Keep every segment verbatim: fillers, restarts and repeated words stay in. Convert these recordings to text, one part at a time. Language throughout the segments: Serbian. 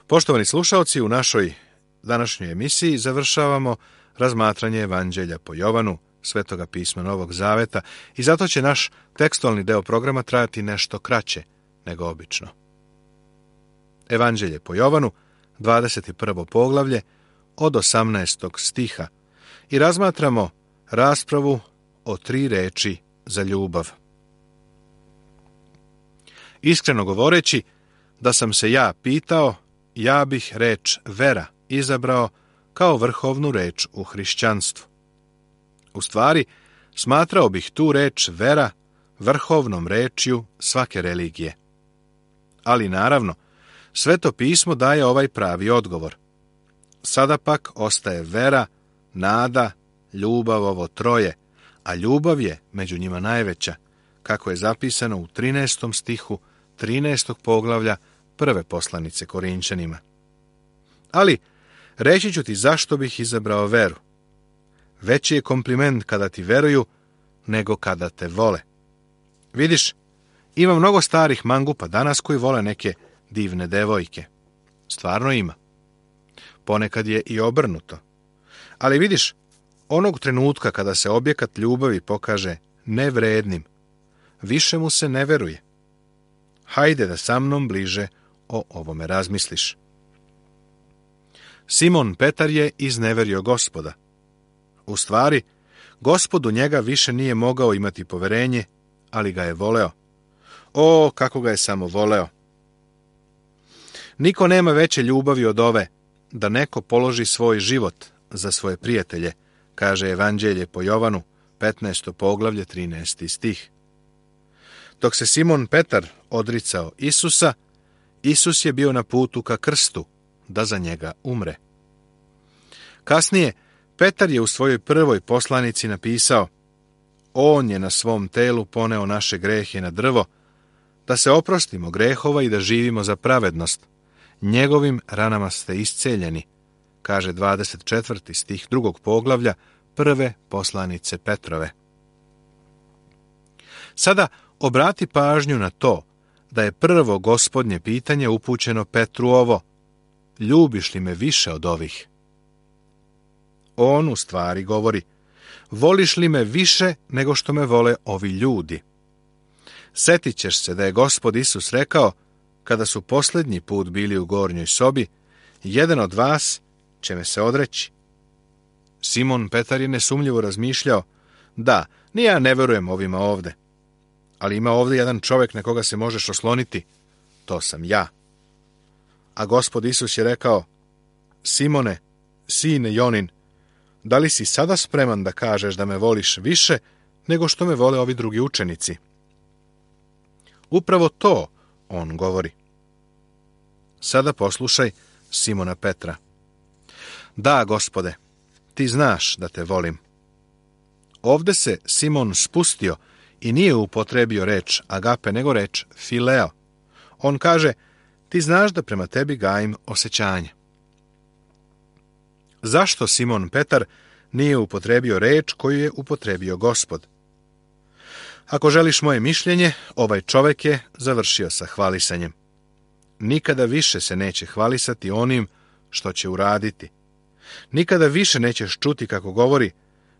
Poštovani slušalci, u našoj današnjoj emisiji završavamo razmatranje Evanđelja po Jovanu, Svetoga pisma Novog Zaveta, i zato će naš tekstualni deo programa trajati nešto kraće nego obično. Evanđelje po Jovanu, dvadeset prvo poglavlje, od osamnaestog stiha, i razmatramo raspravu o tri reči za ljubav. Iskreno govoreći, da sam se ja pitao, ja bih reč vera izabrao kao vrhovnu reč u hrišćanstvu. U stvari, smatrao bih tu reč vera vrhovnom rečju svake religije. Ali naravno, Sveto pismo daje ovaj pravi odgovor. Sada pak ostaje vera, nada, ljubav, ovo troje, a ljubav je među njima najveća, kako je zapisano u trinaestom stihu trinaestog poglavlja prve poslanice Korinčanima. Ali, reći ću ti zašto bih izabrao veru. Veći je kompliment kada ti veruju nego kada te vole. Vidiš, ima mnogo starih mangupa danas koji vole neke divne devojke. Stvarno ima. Ponekad je i obrnuto. Ali vidiš, onog trenutka kada se objekat ljubavi pokaže nevrednim, više mu se ne veruje. Hajde da sa mnom bliže o ovome razmisliš. Simon Petar je izneverio Gospoda. U stvari, Gospod u njega više nije mogao imati poverenje, ali ga je voleo. O, kako ga je samo voleo! Niko nema veće ljubavi od ove, da neko položi svoj život za svoje prijatelje, kaže Evanđelje po Jovanu, petnaesto poglavlje, trinaesti stih. Dok se Simon Petar odricao Isusa, Isus je bio na putu ka krstu, da za njega umre. Kasnije, Petar je u svojoj prvoj poslanici napisao: On je na svom telu poneo naše grehe na drvo, da se oprostimo grehova i da živimo za pravednost. Njegovim ranama ste isceljeni, kaže dvadeset četvrti stih drugog poglavlja prve poslanice Petrove. Sada obrati pažnju na to da je prvo Gospodnje pitanje upućeno Petru ovo: ljubiš li me više od ovih? On u stvari govori: voliš li me više nego što me vole ovi ljudi? Setit ćeš se da je Gospod Isus rekao, kada su posljednji put bili u gornjoj sobi: jedan od vas će me se odreći. Simon Petar je nesumnjivo razmišljao: da, ni ja ne verujem ovima ovde, ali ima ovdje jedan čovjek na koga se možeš osloniti, to sam ja. A Gospod Isus je rekao: Simone, sine Jonin, da li si sada spreman da kažeš da me voliš više nego što me vole ovi drugi učenici? Upravo to on govori. Sada poslušaj Simona Petra. Da, Gospode, ti znaš da te volim. Ovde se Simon spustio i nije upotrebio reč agape, nego reč fileo. On kaže: ti znaš da prema tebi gajim osjećanje. Zašto Simon Petar nije upotrebio reč koju je upotrebio Gospod? Ako želiš moje mišljenje, ovaj čovjek je završio sa hvalisanjem. Nikada više se neće hvalisati onim što će uraditi. Nikada više nećeš čuti kako govori: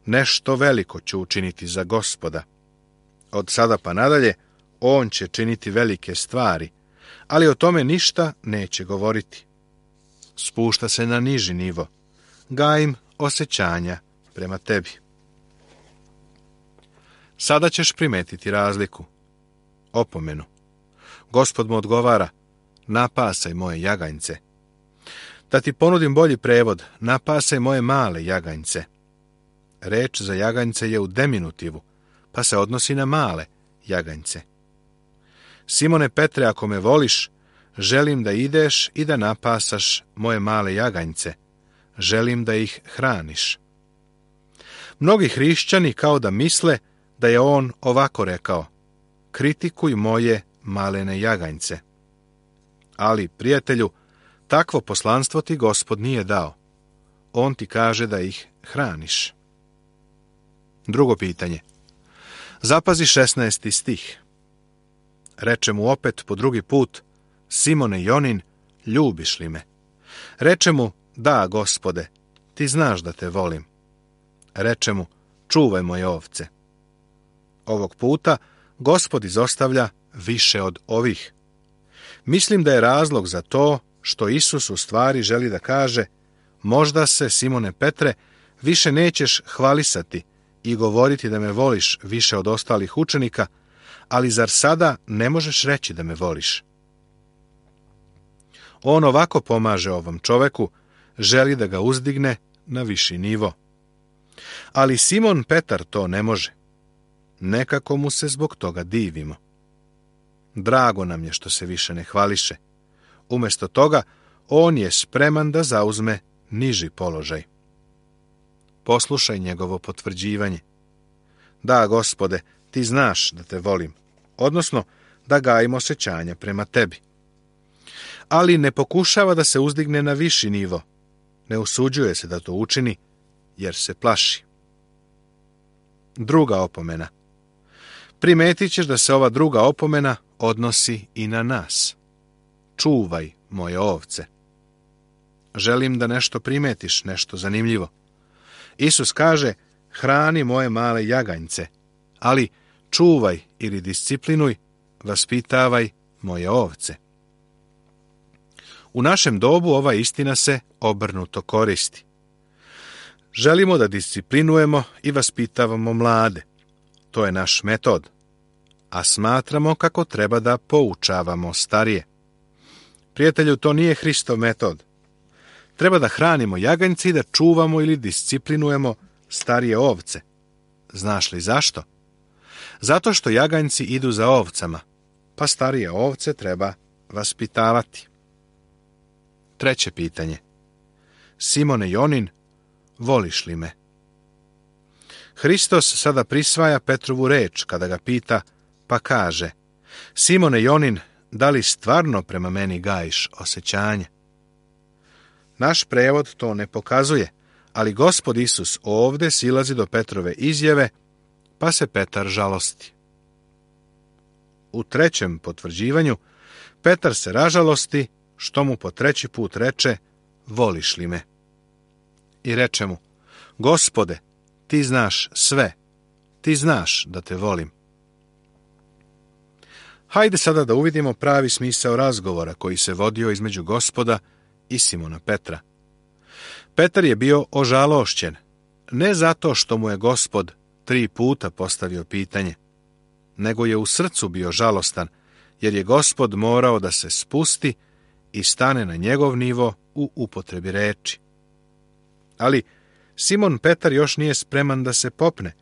nešto veliko ću učiniti za Gospoda. Od sada pa nadalje, on će činiti velike stvari, ali o tome ništa neće govoriti. Spušta se na niži nivo. Gajim osjećanja prema tebi. Sada ćeš primetiti razliku. Opomenu. Gospod mu odgovara: napasaj moje jaganjce. Da ti ponudim bolji prevod: napasaj moje male jaganjce. Reč za jaganjce je u deminutivu, pa se odnosi na male jaganjce. Simone Petre, ako me voliš, želim da ideš i da napasaš moje male jaganjce. Želim da ih hraniš. Mnogi hrišćani kao da misle da je on ovako rekao: kritikuj moje malene jaganjce. Ali, prijatelju, takvo poslanstvo ti Gospod nije dao. On ti kaže da ih hraniš. Drugo pitanje. Zapazi šesnaesti stih. Reče mu opet po drugi put: Simone Jonin, ljubiš li me? Reče mu, da, Gospode, ti znaš da te volim. Reče mu, čuvaj moje ovce. Ovog puta Gospod izostavlja više od ovih. Mislim da je razlog za to što Isus u stvari želi da kaže, možda se, Simone Petre, više nećeš hvalisati i govoriti da me voliš više od ostalih učenika, ali zar sada ne možeš reći da me voliš? On ovako pomaže ovom čoveku, želi da ga uzdigne na viši nivo. Ali Simon Petar to ne može. Nekako mu se zbog toga divimo. Drago nam je što se više ne hvališe. Umjesto toga, on je spreman da zauzme niži položaj. Poslušaj njegovo potvrđivanje. Da, Gospode, ti znaš da te volim, odnosno da gajim osjećanja prema tebi. Ali ne pokušava da se uzdigne na viši nivo. Ne usuđuje se da to učini, jer se plaši. Druga opomena. Primetit ćeš da se ova druga opomena odnosi i na nas. Čuvaj moje ovce. Želim da nešto primetiš, nešto zanimljivo. Isus kaže, hrani moje male jaganjce, ali čuvaj ili disciplinuj, vaspitavaj moje ovce. U našem dobu ova istina se obrnuto koristi. Želimo da disciplinujemo i vaspitavamo mlade. To je naš metod. A smatramo kako treba da poučavamo starije. Prijatelju, to nije Hristov metod. Treba da hranimo jaganjce i da čuvamo ili disciplinujemo starije ovce. Znaš li zašto? Zato što jaganjci idu za ovcama, pa starije ovce treba vaspitavati. Treće pitanje. Simone Jonin, voliš li me? Hristos sada prisvaja Petrovu reč kada ga pita, pa kaže, Simone Jonin, da li stvarno prema meni gajiš osjećanje? Naš prevod to ne pokazuje, ali Gospod Isus ovdje silazi do Petrove izjave, pa se Petar žalosti. U trećem potvrđivanju Petar se ražalosti što mu po treći put reče, voliš li me? I reče mu, Gospode, ti znaš sve, ti znaš da te volim. Hajde sada da uvidimo pravi smisao razgovora koji se vodio između Gospoda i Simona Petra. Petar je bio ožalošćen, ne zato što mu je Gospod tri puta postavio pitanje, nego je u srcu bio žalostan, jer je Gospod morao da se spusti i stane na njegov nivo u upotrebi reči. Ali Simon Petar još nije spreman da se popne.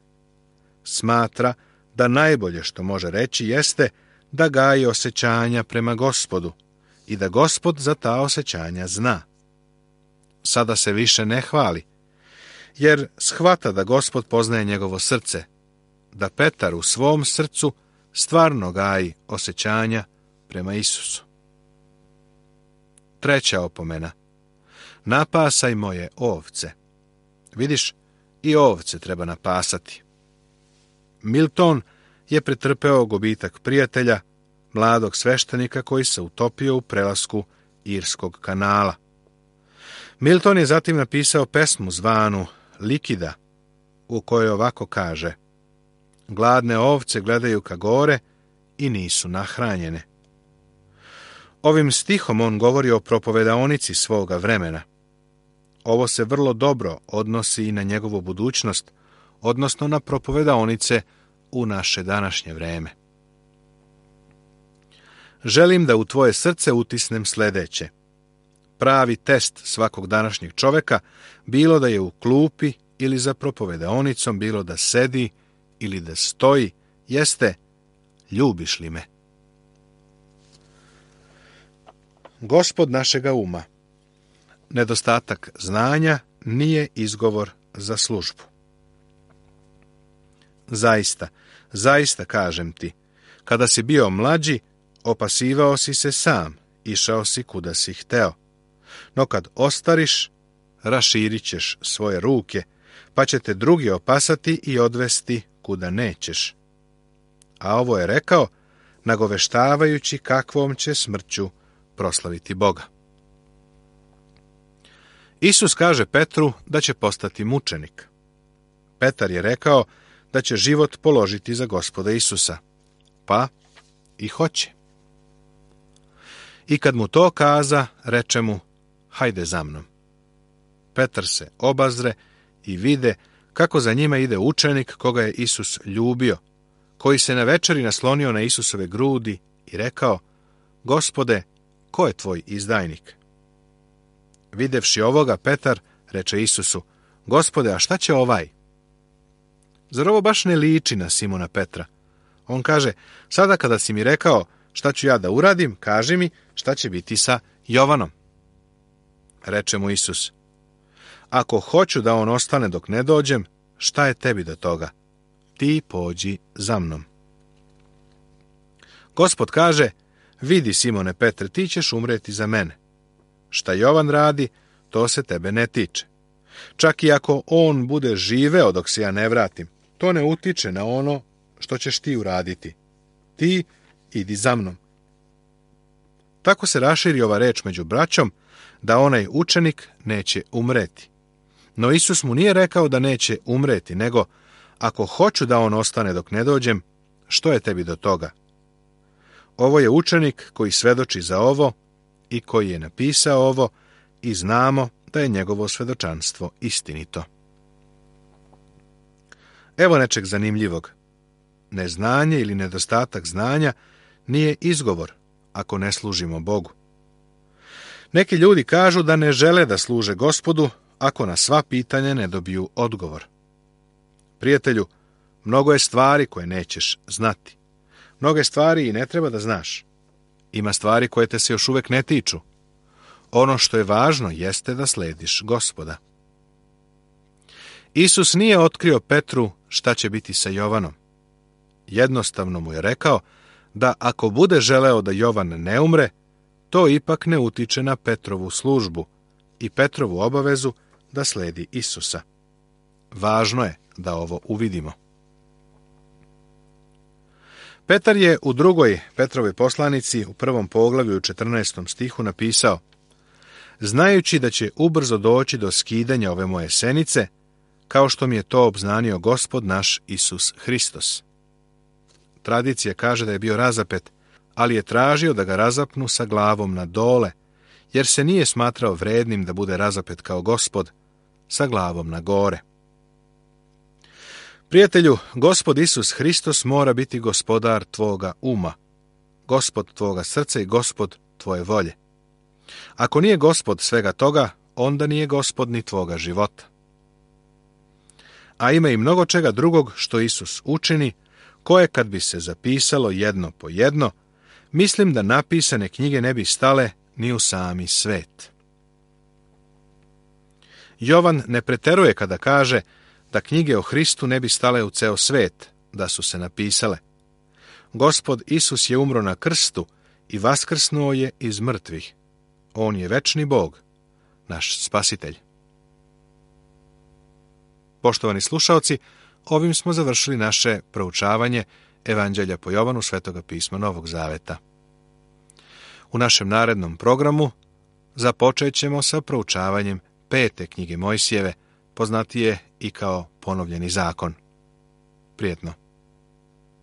Smatra da najbolje što može reći jeste da gaji osjećanja prema Gospodu i da Gospod za ta osjećanja zna. Sada se više ne hvali, jer shvata da Gospod poznaje njegovo srce, da Petar u svom srcu stvarno gaji osjećanja prema Isusu. Treća opomena. Napasaj moje ovce. Vidiš, i ovce treba napasati. Milton je pretrpeo gubitak prijatelja, mladog sveštenika koji se utopio u prelasku Irskog kanala. Milton je zatim napisao pesmu zvanu Likida, u kojoj ovako kaže: gladne ovce gledaju ka gore i nisu nahranjene. Ovim stihom on govori o propovedaonici svoga vremena. Ovo se vrlo dobro odnosi i na njegovu budućnost, odnosno na propovedaonice u naše današnje vreme. Želim da u tvoje srce utisnem sljedeće. Pravi test svakog današnjeg čoveka, bilo da je u klupi ili za propovedaonicom, bilo da sedi ili da stoji, jeste: ljubiš li me? Gospod našega uma. Nedostatak znanja nije izgovor za službu. Zaista, zaista kažem ti, kada si bio mlađi, opasivao si se sam, išao si kuda si hteo. No kad ostariš, raširit ćeš svoje ruke, pa će te drugi opasati i odvesti kuda nećeš. A ovo je rekao, nagoveštavajući kakvom će smrću proslaviti Boga. Isus kaže Petru da će postati mučenik. Petar je rekao da će život položiti za Gospoda Isusa. Pa i hoće. I kad mu to kaza, reče mu, hajde za mnom. Petar se obazre i vide kako za njima ide učenik koga je Isus ljubio, koji se na večeri naslonio na Isusove grudi i rekao, Gospode, ko je tvoj izdajnik? Videvši ovoga, Petar reče Isusu, Gospode, a šta će ovaj? Zar ovo baš ne liči na Simona Petra? On kaže, sada kada si mi rekao šta ću ja da uradim, kaži mi šta će biti sa Jovanom. Reče mu Isus, ako hoću da on ostane dok ne dođem, šta je tebi do toga? Ti pođi za mnom. Gospod kaže, vidi Simone Petre, ti ćeš umreti za mene. Šta Jovan radi, to se tebe ne tiče. Čak i ako on bude živeo dok se ja ne vratim, to ne utiče na ono što ćeš ti uraditi. Ti idi za mnom. Tako se raširi ova reč među braćom, da onaj učenik neće umreti. No Isus mu nije rekao da neće umreti, nego, ako hoću da on ostane dok ne dođem, što je tebi do toga? Ovo je učenik koji svedoči za ovo i koji je napisao ovo i znamo da je njegovo svedočanstvo istinito. Evo nečeg zanimljivog. Neznanje ili nedostatak znanja nije izgovor ako ne služimo Bogu. Neki ljudi kažu da ne žele da služe Gospodu ako na sva pitanja ne dobiju odgovor. Prijatelju, mnogo je stvari koje nećeš znati. Mnoge stvari i ne treba da znaš. Ima stvari koje te se još uvek ne tiču. Ono što je važno jeste da slediš Gospoda. Isus nije otkrio Petru šta će biti sa Jovanom. Jednostavno mu je rekao da ako bude želeo da Jovan ne umre, to ipak ne utiče na Petrovu službu i Petrovu obavezu da sledi Isusa. Važno je da ovo uvidimo. Petar je u drugoj Petrovoj poslanici u prvom poglavlju u četrnaestom stihu napisao, znajući da će ubrzo doći do skidanja ove moje senice, kao što mi je to obznanio Gospod naš Isus Hristos. Tradicija kaže da je bio razapet, ali je tražio da ga razapnu sa glavom na dole, jer se nije smatrao vrednim da bude razapet kao Gospod, sa glavom na gore. Prijatelju, Gospod Isus Hristos mora biti gospodar tvoga uma, Gospod tvoga srca i Gospod tvoje volje. Ako nije Gospod svega toga, onda nije Gospod ni tvoga života. A ima i mnogo čega drugog što Isus učini, koje kad bi se zapisalo jedno po jedno, mislim da napisane knjige ne bi stale ni u sami svet. Jovan ne preteruje kada kaže da knjige o Hristu ne bi stale u ceo svet, da su se napisale. Gospod Isus je umro na krstu i vaskrsnuo je iz mrtvih. On je večni Bog, naš spasitelj. Poštovani slušaoci, ovim smo završili naše proučavanje Evanđelja po Jovanu, Svetoga pisma Novog Zaveta. U našem narednom programu započet ćemo sa proučavanjem pete knjige Mojsijeve, poznatije i kao Ponovljeni zakon. Prijetno.